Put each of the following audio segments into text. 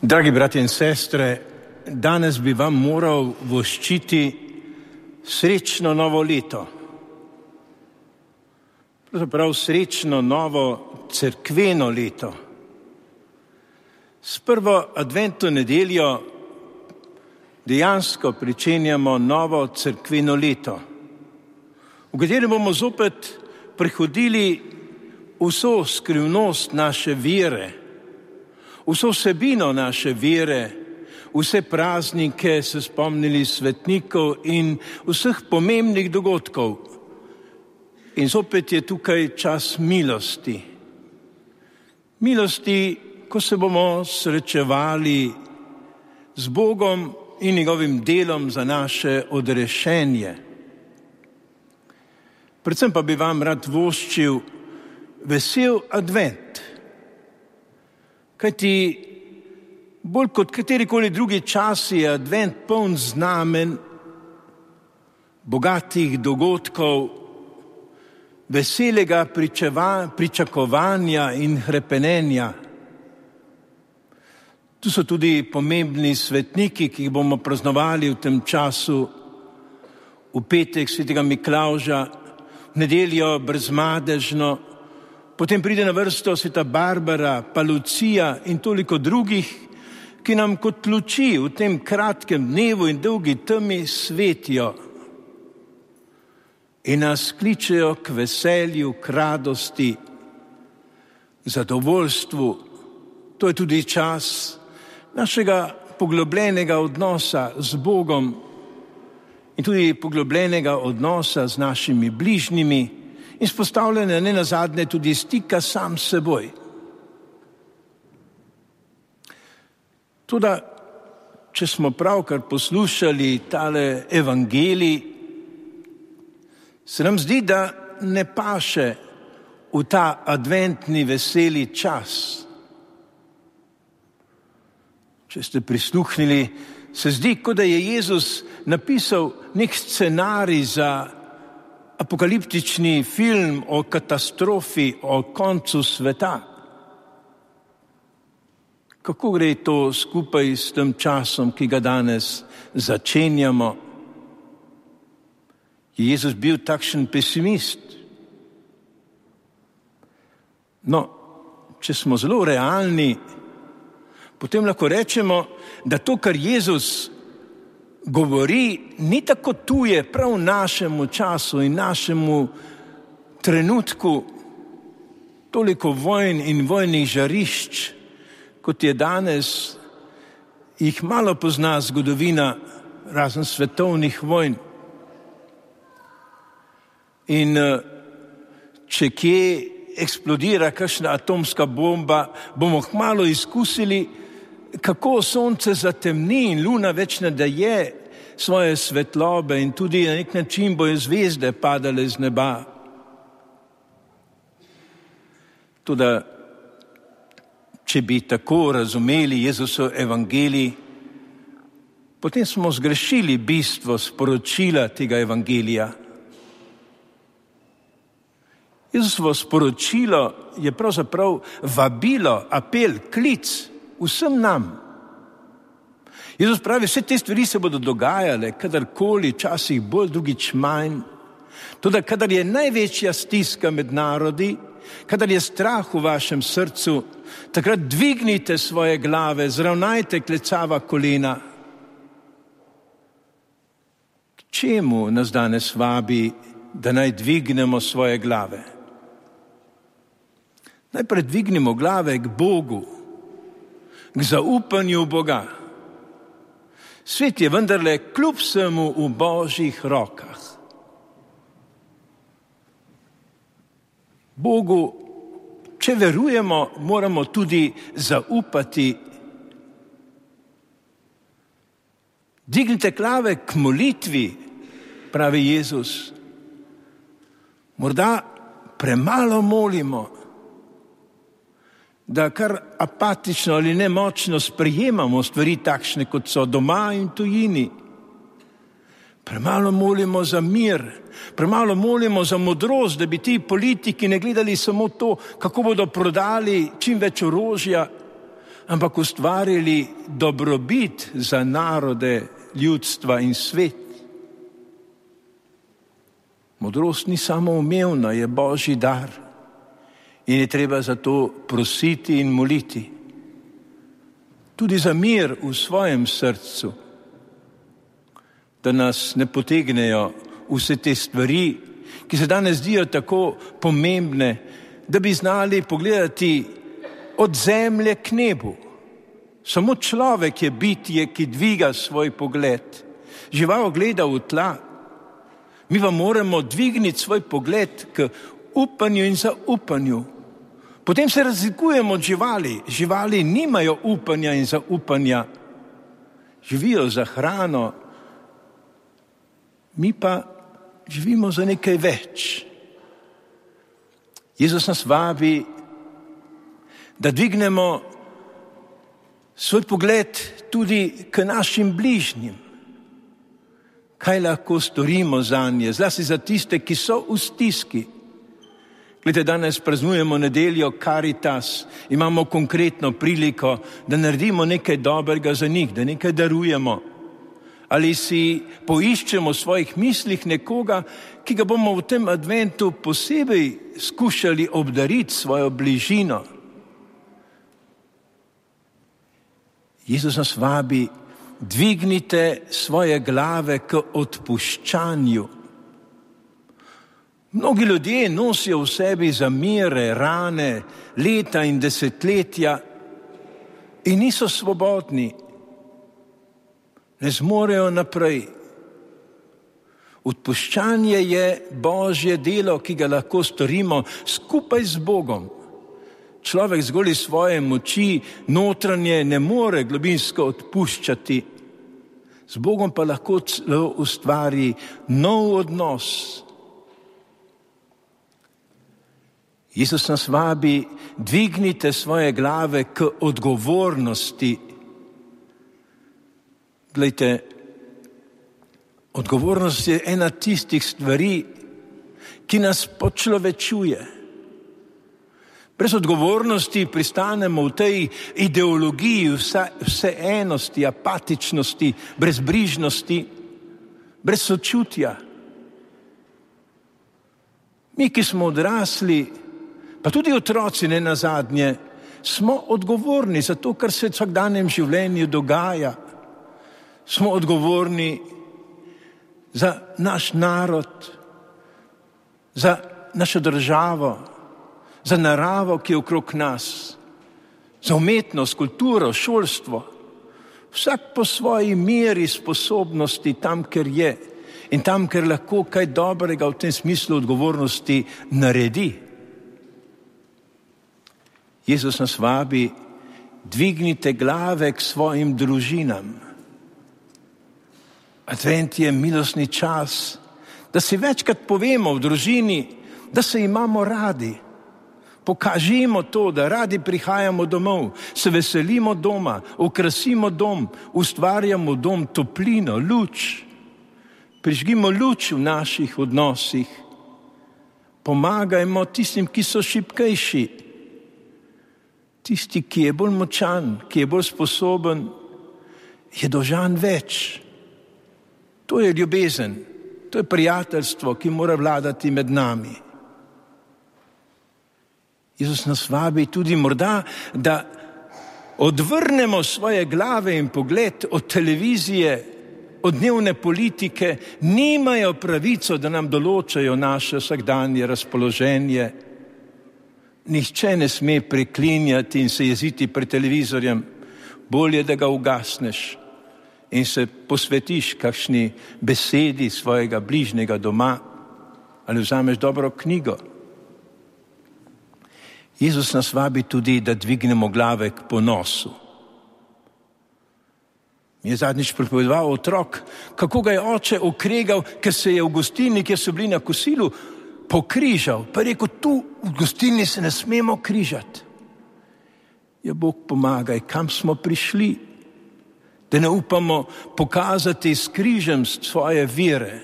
Dragi bratje in sestre, danes bi vam moral voščiti srečno novo leto. Pravzaprav srečno novo cerkveno leto. S prvo adventno nedeljo dejansko pričenjamo novo cerkveno leto, v katerem bomo zopet prehodili vso skrivnost naše vere, vso vsebino naše vere, vse praznike se spomnili svetnikov in vseh pomembnih dogodkov. In zopet je tukaj čas milosti. Milosti, ko se bomo srečevali z Bogom in njegovim delom za naše odrešenje. Predvsem pa bi vam rad voščil vesel advent. Kajti bolj kot katerikoli drugi čas je advent poln znamen, bogatih dogodkov, veselega pričakovanja in hrepenenja. Tu so tudi pomembni svetniki, ki jih bomo praznovali v tem času, v petek svetega Miklavža, v nedeljo Brezmadežno, potem pride na vrsto sveta Barbara, pa Lucija in toliko drugih, ki nam kot luči v tem kratkem dnevu in dolgi temi svetijo in nas kličejo k veselju, k radosti, zadovoljstvu. To je tudi čas našega poglobljenega odnosa z Bogom in tudi poglobljenega odnosa z našimi bližnjimi in vzpostavljanja nenazadnje tudi stika sam s seboj. Toda, če smo pravkar poslušali tale evangelij, se nam zdi, da ne paše v ta adventni veseli čas. Če ste prisluhnili, se zdi, kot da je Jezus napisal nek scenarij za apokaliptični film o katastrofi, o koncu sveta. Kako gre to skupaj s tem časom, ki ga danes začenjamo? Je Jezus bil takšen pesimist? No, če smo zelo realni, potem lahko rečemo, da to, kar Jezus govori, ni tako tuje prav našemu času in našemu trenutku, toliko vojn in vojnih žarišč, kot je danes, jih malo pozna zgodovina razen svetovnih vojn. In če kje eksplodira kakšna atomska bomba, bomo kmalu izkusili, kako sonce zatemni in luna več ne daje svoje svetlobe in tudi na nek način bojo zvezde padale z neba. Toda, če bi tako razumeli Jezusov evangelij, potem smo zgrešili bistvo sporočila tega evangelija. Jezusovo sporočilo je pravzaprav vabilo, apel, klic vsem nam. Jezus pravi, vse te stvari se bodo dogajale, kadarkoli, časih bolj, drugič manj. Toda kadar je največja stiska med narodi, kadar je strah v vašem srcu, takrat dvignite svoje glave, zravnajte klecava kolena. K čemu nas danes vabi, da naj dvignemo svoje glave? Najprej dvignimo glave k Bogu, k zaupanju Boga. Svet je vendarle kljub vsemu v Božjih rokah. Bogu, če verujemo, moramo tudi zaupati. Dignite glave k molitvi, pravi Jezus. Morda premalo molimo, da kar apatično ali nemočno sprejemamo stvari takšne, kot so doma in tujini. Premalo molimo za mir, premalo molimo za modrost, da bi ti politiki ne gledali samo to, kako bodo prodali čim več orožja, ampak ustvarili dobrobit za narode, ljudstva in svet. Modrost ni samoumevna, je Božji dar in je treba za to prositi in moliti. Tudi za mir v svojem srcu, da nas ne potegnejo vse te stvari, ki se danes zdijo tako pomembne, da bi znali pogledati od zemlje k nebu. Samo človek je bitje, ki dviga svoj pogled. Žival gleda v tla. Mi pa moramo dvigniti svoj pogled k upanju in zaupanju. Potem se razlikujemo od živali. Živali nimajo upanja in zaupanja. Živijo za hrano. Mi pa živimo za nekaj več. Jezus nas vabi, da dvignemo svoj pogled tudi k našim bližnjim. Kaj lahko storimo zanje, zlasti za tiste, ki so v stiski. Glede, danes praznujemo nedeljo Karitas, imamo konkretno priliko, da naredimo nekaj dobrega za njih, da nekaj darujemo. Ali si poiščemo v svojih mislih nekoga, ki ga bomo v tem adventu posebej skušali obdariti svojo bližino. Jezus nas vabi, dvignite svoje glave k odpuščanju. Mnogi ljudje nosijo v sebi zamere, rane, leta in desetletja in niso svobodni. Ne zmorejo naprej. Odpuščanje je Božje delo, ki ga lahko storimo skupaj z Bogom. Človek zgolj iz svoje moči notranje ne more globinsko odpuščati. Z Bogom pa lahko celo ustvari nov odnos. Jezus nas vabi, dvignite svoje glave k odgovornosti. Glejte, odgovornost je ena tistih stvari, ki nas počlovečuje. Brez odgovornosti pristanemo v tej ideologiji vseenosti, apatičnosti, brezbrižnosti, brez sočutja. Mi, ki smo odrasli, pa tudi otroci ne nazadnje, smo odgovorni za to, kar se v vsakdanjem življenju dogaja. Smo odgovorni za naš narod, za našo državo, za naravo, ki je okrog nas, za umetnost, kulturo, šolstvo. Vsak po svoji meri sposobnosti tam, ker je in tam, ker lahko kaj dobrega v tem smislu odgovornosti naredi. Jezus nas vabi, dvignite glave k svojim družinam. Advent je milostni čas, da si večkrat povemo v družini, da se imamo radi. Pokažimo to, da radi prihajamo domov, se veselimo doma, okrasimo dom, ustvarjamo dom, toplino, luč. Prižgimo luč v naših odnosih. Pomagajmo tistim, ki so šibkejši. Tisti, ki je bolj močan, ki je bolj sposoben, je dolžan več. To je ljubezen, to je prijateljstvo, ki mora vladati med nami. Jezus nas vabi tudi morda, da odvrnemo svoje glave in pogled od televizije, od dnevne politike. Nimajo pravico, da nam določajo naše vsakdanje razpoloženje. Nihče ne sme preklinjati in se jeziti pred televizorjem. Bolje, da ga ugasneš in se posvetiš kakšni besedi svojega bližnjega doma ali vzameš dobro knjigo. Jezus nas vabi tudi, da dvignemo glave k ponosu. Mi je zadnjič pripovedoval otrok, kako ga je oče okregal, ker se je v gostilni, kjer so bili na kosilu, pokrižal. Pa je rekel, tu v gostilni se ne smemo križati. Ja, Bog pomagaj, kam smo prišli, da ne upamo pokazati s križem svoje vere.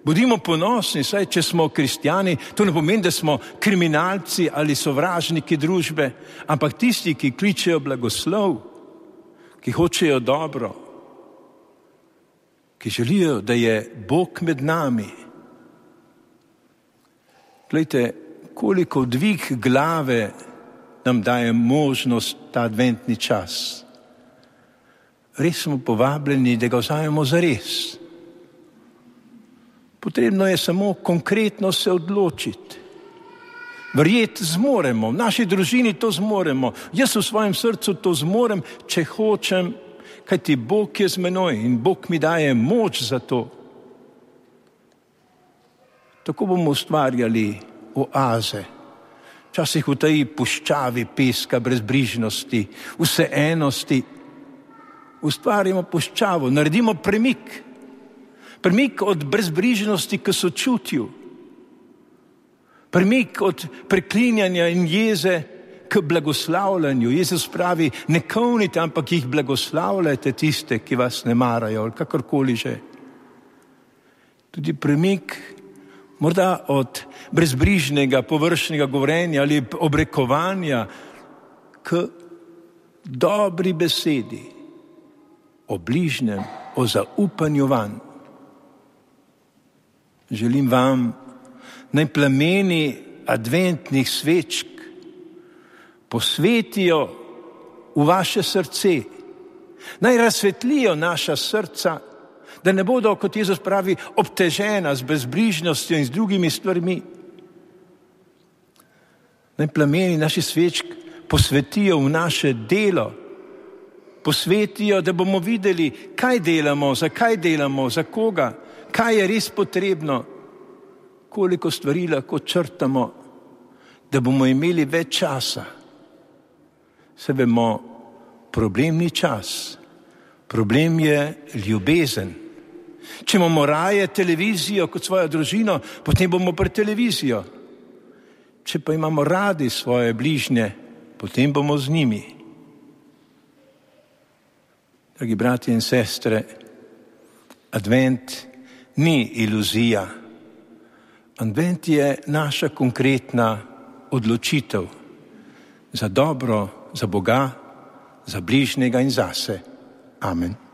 Bodimo ponosni, saj če smo kristjani, to ne pomeni, da smo kriminalci ali sovražniki družbe, ampak tisti, ki kličejo blagoslov, ki hočejo dobro, ki želijo, da je Bog med nami. Glejte, koliko dvig glave nam daje možnost ta adventni čas. Res smo povabljeni, da ga vzamemo zares. Potrebno je samo konkretno se odločiti. Verjeti zmoremo, v naši družini to zmoremo, jaz v svojem srcu to zmorem, če hočem, kajti Bog je z menoj in Bog mi daje moč za to. Tako bomo ustvarjali oaze, včasih v tej puščavi peska brezbrižnosti, vseenosti. Ustvarjamo puščavo, naredimo premik od brezbrižnosti k sočutju, premik od preklinjanja in jeze k blagoslavljanju. Jezus pravi, ne kovnite, ampak jih blagoslavljajte tiste, ki vas ne marajo, ali kakorkoli že. Tudi premik morda od brezbrižnega, površnega govorjenja ali obrekovanja k dobri besedi o bližnjem, o zaupanju vanj. Želim vam, naj plameni adventnih svečk posvetijo v vaše srce, naj razsvetlijo naša srca, da ne bodo, kot Jezus pravi, obtežena z brezbrižnostjo in z drugimi stvarmi. Naj plameni naših svečk posvetijo v naše delo, posvetijo, da bomo videli, kaj delamo, za koga, kaj je res potrebno, koliko stvari lahko črtamo, da bomo imeli več časa. Se vemo, problem ni čas, problem je ljubezen. Če imamo raje televizijo kot svojo družino, potem bomo pri televizijo. Če pa imamo radi svoje bližnje, potem bomo z njimi. Dragi bratje in sestre, advent ni iluzija. Advent je naša konkretna odločitev za dobro, za Boga, za bližnjega in zase. Amen.